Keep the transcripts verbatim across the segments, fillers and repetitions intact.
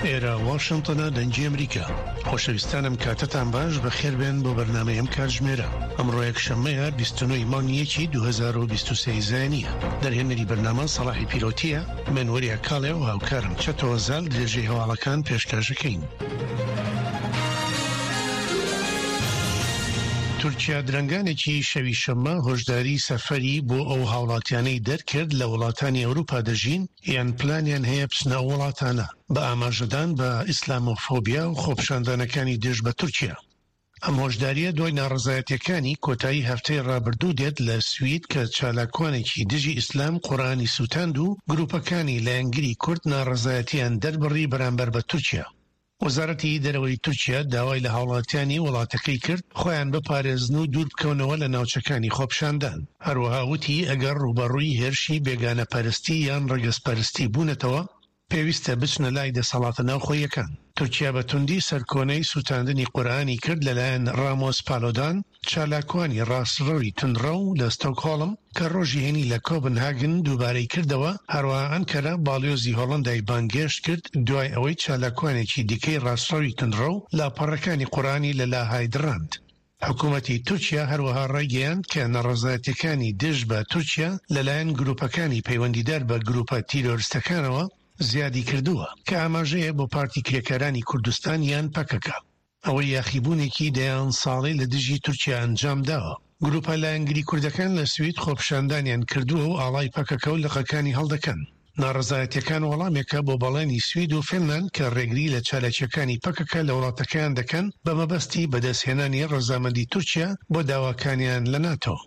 ئێرە واشنتنە، دەنگی ئەمریکا. خۆشەویستانم، کاتتان باش، بەخێربێن بۆ بەرنامەی ئەم کاتژمێرە. ئەمڕۆ یەکشەممەیە، بیست و نۆ ی مانگی یەکی دوو هەزار و بیست و سێ زایینیە. دەرهێنەری بەرنامە سەڵاحی پیرۆتیە، من وەریا کاڵێ و هاوکارم چەتۆ زال درێژەی هەواڵەکان پێشکەشەکەین. تورکیا درەنگانێکی شەوی شەممە هۆشداری سەفەری بۆ ئەو هاوڵاتیانەی دەرکرد لە وڵاتانی ئەوروپا دەژین یان پلانیان هەیە بچنە ئەو وڵاتانە، بە ئاماژەدان بە ئیسلامۆفۆبیا و خۆپیشاندانەکانی دژ بە تورکیا. ئەم هۆشداریە دوای ناڕەزایەتیەکانی کۆتایی هەفتەی ڕابردوو دێت لە سوید کە چالاکوانێکی دژی ئیسلام قورئانی سوتاند و گروپەکانی لایەنگری کورد ناڕەزایەتیان دەربڕی بەرامبەر بە تورکیا. وەزارەتی دەرەوەی تورکیا داوای لە هاوڵاتیانی وڵاتەکەی کرد خۆیان بپارێزن و دوور بکەونەوە لە ناوچەکانی خۆپیشاندان. هەروەها وتی ئەگەر ڕووبەڕووی هێرشی بێگانەپەرستی یان ڕەگەزپەرستی بوونەتەوە پێویستە بچنە لای دەسەڵاتە ناوخۆیەکان. تورکیا بە توندی سەرکۆنەی سوتاندنی قورئانی کرد لەلایەن ڕامۆس پالۆدان، چالاکوانی ڕاستڕەوی توندڕەو لە ستۆکهۆڵم کە ڕۆژی هەینی لە کۆپنهاگن دووبارەی کردەوە. هەروەها ئەنکەرە باڵیۆزی هۆڵەندای بانگهێشت کرد دوای ئەوەی چالاکوانێکی دیکەی ڕاستڕەوی توندڕەو لاپەڕەکانی قورئانی لە لاهای دڕاند. حکوومەتی تورکیا هەروەها ڕایگەیاند کە ناڕەزایەتیەکانی دژ بە تورکیا لەلایەن گروپەکانی پەیوەندیدار بە گروپە تیرۆرستەکانەوە زیادی کردووە، کە ئاماژەیە بۆ پارتی کرێکارانی کوردستان یان پەکەکە، ئەوەی یاخیبوونێکی دەیان ساڵەی لە دژی تورکیا ئەنجام داوە. گروپە لایەنگری کوردەکان لە سوید خۆپیشاندانیان کردووە و ئاڵای پەکەکە و لقەکانی هەڵدەکەن. ناڕەزایەتیەکان وەڵامێکە بۆ بەڵێنی سوید و فینلاند کە ڕێگری لە چالاکیەکانی پەکەکە لە وڵاتەکەیان دەکەن بە مەبەستی بەدەستهێنانی ڕەزامەندی تورکیا بۆ داواکانیان لە ناتۆ.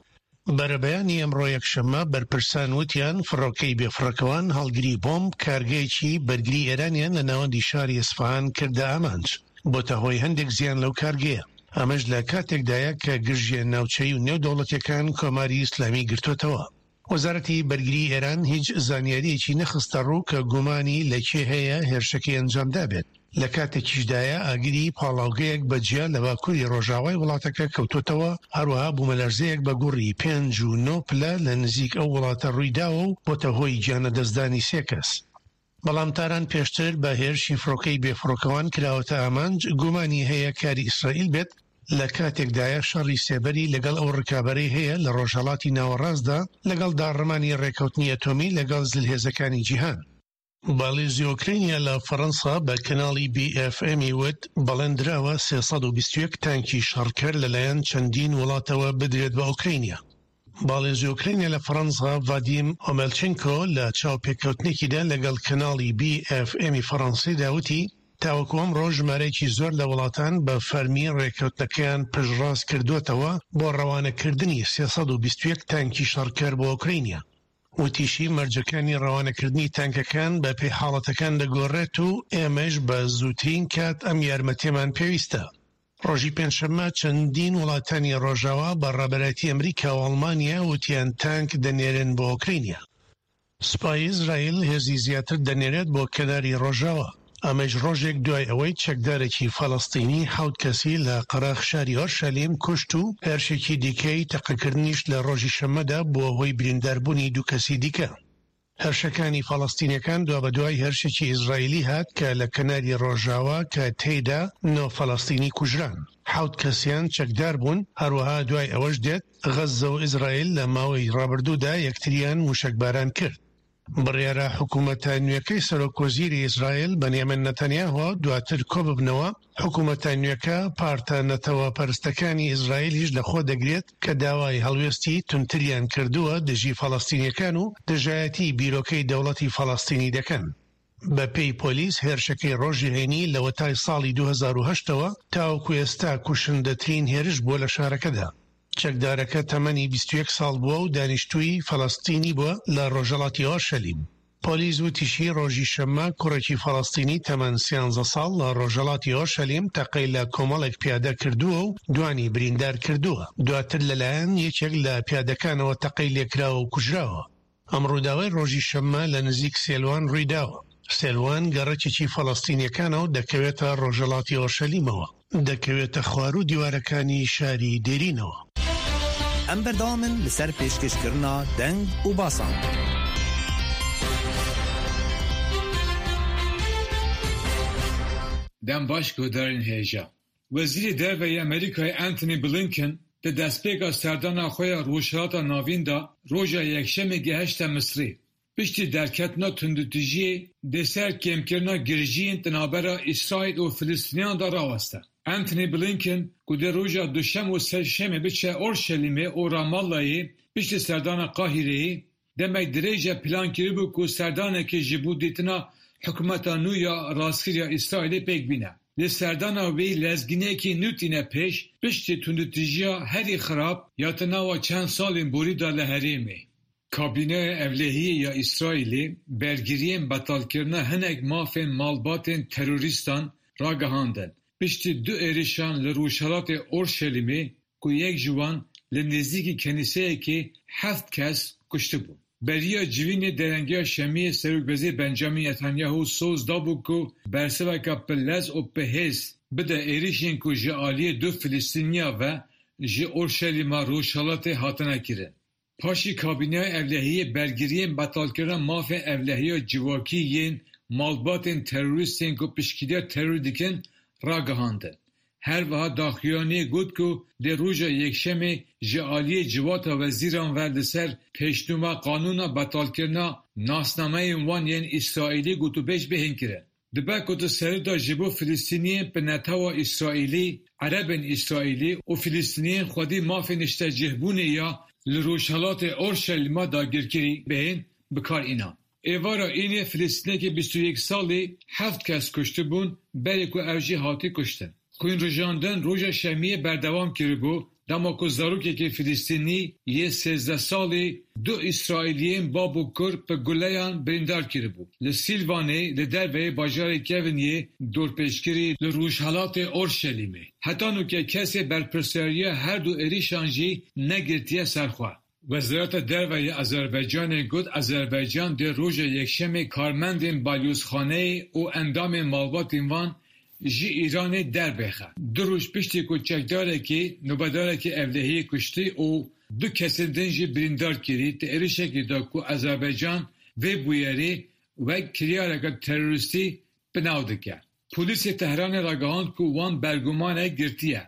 بەرەبەیانی ئەمڕۆ یەکشەممە بەرپرسان وتیان فڕۆکەی بێفڕۆکەوان هەڵگری بۆمب کارگەیەکی بەرگری ئێرانیان لە ناوەندی شاری ئیسفەهان کردە ئامانج، بۆتە هۆی هەندێک زیان لەو کارگەیە. ئەمەش لە کاتێکدایە کە گرژیە ناوچەیی و نێودەوڵەتیەکان کۆماری ئیسلامی گرتووەتەوە. وەزارەتی بەرگری ئێران هیچ زانیاریەکی نەخستە ڕوو کە گومانی لە کێ هەیە هێرشەکەی ئەنجامدا بێت. لە کاتێکیشدایە ئاگری پاڵاوگەیەک بە جیا لە باکووری ڕۆژاوای وڵاتەکە کەوتۆتەوە، هەروەها بوومەلەرزەیەک بە گوڕی پێنج و نۆ پلە لە نزیک ئەو وڵاتە ڕوویداوە و بۆتە هۆی گیانلەدەستدانی سێ کەس. بەڵام تاران پێشتر بە هێرشی فڕۆکەی بێفڕۆکەوان کراوەتە ئامانج، گومانی هەیە کاری ئیسرائیل بێت، لە کاتێکدایە شەڕی سێبەری لەگەڵ ئەو ڕکابەرەی هەیە لە ڕۆژهەڵاتی ناوەڕاستدا لەگەڵ داڕمانی ڕێکەوتنی ئەتۆمی لەگەڵ زلهێزەکانی جیهان. باڵیۆزی ئۆکرانیا لە فەرەنسا بە کەناڵی بی ئێف ئێمی وت بەڵێن دراوە سێ سەد و بیست و یەک تانکی شەڕکەر لەلایەن چەندین وڵاتەوە بدرێت بە ئۆکرانیا. باڵیۆزی ئۆکرانیا لە فەرەنسا ڤادیم ئۆمێلچینکۆ لە چاوپێکەوتنێکیدا لەگەڵ کەناڵی بی ئێف ئێمی فەرەنسیدا وتی تاوەکو ئەمڕۆ ژمارەیەکی زۆر لە وڵاتان بە فەرمی ڕێککەوتنەکەیان پشتڕاست کردووەتەوە بۆ ڕەوانەکردنی سێ سەد و بیست و یەک تانکی شەڕکەر بۆ ئۆکرانیا. وتیشی مەرجەکانی ڕەوانەکردنی تانکەکان بە پێی حاڵەتەکان دەگۆڕێت و ئێمەش بە زووترین کات ئەم یارمەتیەمان پێویستە. ڕۆژی پێنجشەممە چەندین وڵاتانی ڕۆژاوا بە ڕابەرایەتی ئەمریکا و ئەڵمانیا وتیان تانک دەنێرن بۆ ئۆکرانیا. سوپای ئیسرائیل هێزی زیاتر دەنێرێت بۆ کەناری ڕۆژاوا، ئەمەش ڕۆژێک دوای ئەوەی چەکدارێکی فەلەستینی حەوت کەسی لە قەراخ شاری ئۆرشەلیم کوشت و هێرشێکی دیکەی تەقەکردنیش لە ڕۆژی شەممەدا بووە هۆی برینداربوونی دوو کەسی دیکە. هێرشەکانی فەلەستینیەکان دوابەدوای هێرشێکی ئیسرائیلی هات کە لە کەناری ڕۆژاوا کە تێیدا نۆ فەلەستینی کوژران، حەوت کەسیان چەکدار بوون. هەروەها دوای ئەوەش دێت غەززە و ئیسرائیل لە ماوەی ڕابردوودا یەکتریان موشەکباران کرد. بڕیارە حکوومەتە نوێەکەی سەرۆک وەزیری ئیسرائیل بەنیامین نەتەنیاهۆ دواتر کۆببنەوە. حکوومەتە نوێەکە پارتە نەتەوە پەرستەکانی ئیسرائیلیش لەخۆ دەگرێت کە داوای هەڵوێستی توندتریان کردووە دژی فەلەستینیەکان و دژایەتی بیرۆکەی دەوڵەتی فەلەستینی دەکەن. بە پێی پۆلیس هێرشەکەی ڕۆژی هەینی لەوەتای ساڵی دوو هەزار و هەشت ەوە تاوەکو ئێستا کوشندەترین هێرش بووە لە شارەکەدا. چەکدارەکە تەمەنی بیست و یەک ساڵ بووە و دانیشتووی فەلەستینی بووە لە ڕۆژهەڵاتی ئۆرشەلیم. پۆلیس وتیشی ڕۆژی شەممە کوڕێکی فەلەستینی تەمەن سیانزە ساڵ لە ڕۆژهەڵاتی ئۆرشەلیم تەقەی لە کۆمەڵێک پیادە کردووە و دوانی بریندار کردووە، دواتر لەلایەن یەکێک لە پیادەکانەوە تەقەی لێکراوە و کوژراوە. ئەم ڕووداوەی ڕۆژی شەممە لە نزیک سێلوان ڕوویداوە. سێلوان گەڕەکێکی فەلەستینیەکانە و دەکەوێتە ڕۆژهەڵاتی ئۆرشەلیمەوە، دەکەوێتە خواروو دیوارەکانی شاری دێرینەوە. ئەم بەردەوامن لەسەر پێشکەشکردنا دەنگ و باسان. Dem baş guhdarên hêja. Wezîrê Derve yê Amerîkayê Antony Blinken di destpêka serdana xwe ya Rojhilata Navîn de roja Yekşemê gihişte Misrê. Piştî derketina tundûtûjiyê dê ser kêmkirina girjiyên di navbera Îsraîl û Filistîniyan de raweste. Antony Blinken ku dê roja Duşem û Sêşemê biçe Orşelîmê û Ramallayê piştî serdana Qahîreyê demek dirêj e plan kiribû ku serdanekê ji bo dîtina hikûmeta nû ya rastgir ya Îsraîlê pêk bîne. Lê serdana wê lezgîniyekê nû tîne pêş piştî tundûtûjiya herî xirab ya di nava çend salên borî de li herêmê. Kabîneya Ewlehiyê ya Îsraîlê bergiriyên betalkirina hinek mafên malbatên terorîstan ragihandin. Piştî du êrişan li Rojhilatê Orşelîmê ku yek ji wan li nêzîkî kenîseyekê heft kes kuştibûn. Beriya civînê derengiya Şemiyê Serokwezîr Benjamin Netanyahu soz dabû ku bersiveke bi lez û bi hêz bide êrişên ku ji aliyê du Filistîniya ve ji Orşelîma Rojhilatê hatine kirin. Paşî kabîneya ewlehiyê bergiriyên betalkirina mafên ewlehiya civakî yên malbatên terorîstên ku piştgiriya terorê dikin ragihandin. Her wiha daxuyaniyê got ku dê roja Yekşemê ji aliyê civata wezîran ve li ser pêşnûma qanûna betalkirina nasnameyên wan yên Îsraîlî gotûbêj bihên kirin. Dibe ku di serî de ji bo Filistîniyên bi netewa Îsraîlî, Erebên Îsraîlî û Filistîniyên xwedî mafê niştecihbûnê ya li Rojhilatê Orşelîma dagirkirî bihên bikaranîn. Êvara Înê Filistînekê bîst û yek salî heft kes kuştibûn berî ku ew jî hatî kuştin. Xwînrijandin roja Şemiyê berdewam kiribû dema ku zarokekî Filistînî yê sêzdeh salî du Îsraîliyên bab û kur bi guleyan birîndar kiribû. Li Sîlvanê li derveyê bajarê Kevin yê dorpêçkirî li Rojhilatê Orşelîmê. Heta nûke kesê berpirsyariya her du êrişan jî negirtiye ser xwe. Wezareta Derve ya Azerbaycanê got Azerbaycan dê roja Yekşemê karmendên balyozxaneyê û endamên malbatên wan ji Îranê derbixe. Du roj piştî ku çekdarekî nobedarekî ewlehiyê kuştî û du kesên din jî birîndar kirî di êrişekê de ku Azerbaycan vê bûyerê wek kiryareke terorîstî bi nav dike. Polîsê Tehranê ragihand ku wan bergumanek girtiye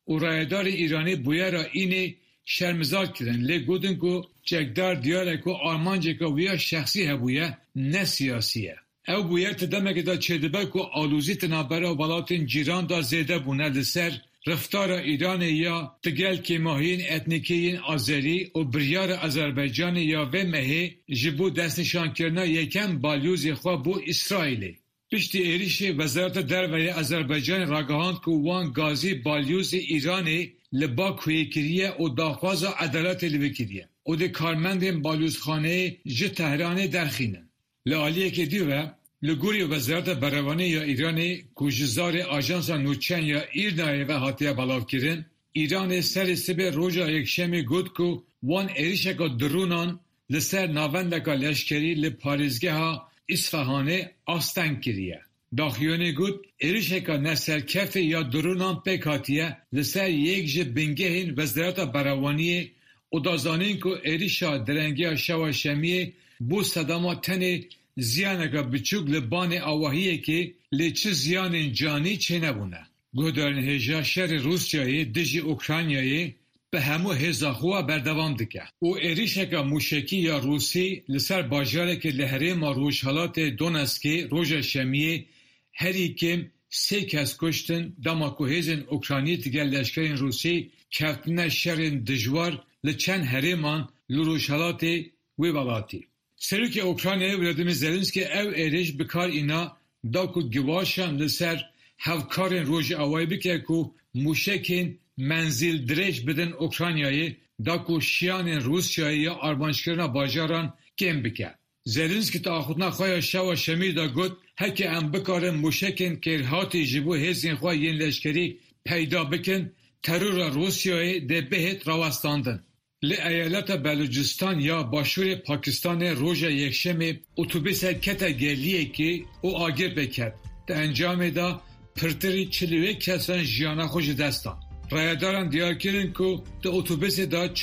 û rayedarê Îranê bûyera Înê şermezar kirin lê gotin ku çekdar diyar e ku armanceke wî ya şexsî hebûye ne siyasî ye. Ew bûyer di demekê de çêdibe ku alozî di navbera welatên cîran de zêde bûne li ser riftara Îranê ya digel kêmahiyên etnîkî yên Azerî û biryara Azerbaycanê ya vê mehê ji bo destnîşankirina yekem balyozê xwe bo Îsraîlê. Piştî êrişê Wezareta Derve ya Azerbaycanê ragihand ku wan gazî balyozê Îranê li Bakuyê kiriye û daxwaza edaletê li wê kiriye û dê karmendên balyozxaneyê ji Tehranê derxînin. Li aliyekê dî ve li gorî Wezareta Berevanê ya Îranê ku ji zarê Ajansa Nûçeyan ya Îrnayê ve hatiye belavkirin, Îranê serê sibê roja Yekşemê got ku wan êrişeke dronan li ser navendeke leşkerî li parêzgeha Îsfehanê asteng kiriye. Daxuyaniyê got êrişeke neserkeftî ya dronan pêk hatiye li ser yek ji bingehên Wezareta Berevaniyê û da zanîn ku êrişa derengiya şeva Şemiyê bû sedema tenê ziyaneke biçûk li banê avahiyekê lê çi ziyanên canî çênebûne. Guhdarên hêja şerê Rûsyayê dijî Ukraynayê bi hemû hêza xwe berdewam dike û êrişeke mûşekî ya Rûsî li ser bajarekê li herêma Rojhilatê Donetskê roja Şemiyê herî kêm sê kes kuştin dema ku hêzên Ukraynî digel leşkerên Rûsî kevtine şerên dijwar li çend herêman li Rojhilatê wê welatî. Serokê Ukraynayê Volodymyr Zelenskiy ew êriş bi kar îna da ku giwaşan li ser hevkarên rojavayê bike ku mûşekên menzîldirêj bidin Ukraynayê da ku şiyanên Rûsyayê ya armanckirina bajaran kêm bike. Zelenskiy di axaftina xwe ya şeva Şemiyê de got heke em bikarin mûşekên kêrhatî ji bo hêzên xwe yên leşkerî peyda bikin, terora Rûsyayê dê bihêt rawestandin. Li eyaleta Belûcistan ya Başûrê Pakistanê roja Yekşemê otobûsek kete geliyekê û agir pê ket. Di encamê de pirtirî çil û yek kesan jiyana xwe ji dest dan. Rayedaran diyar kirin ku di otobûsê de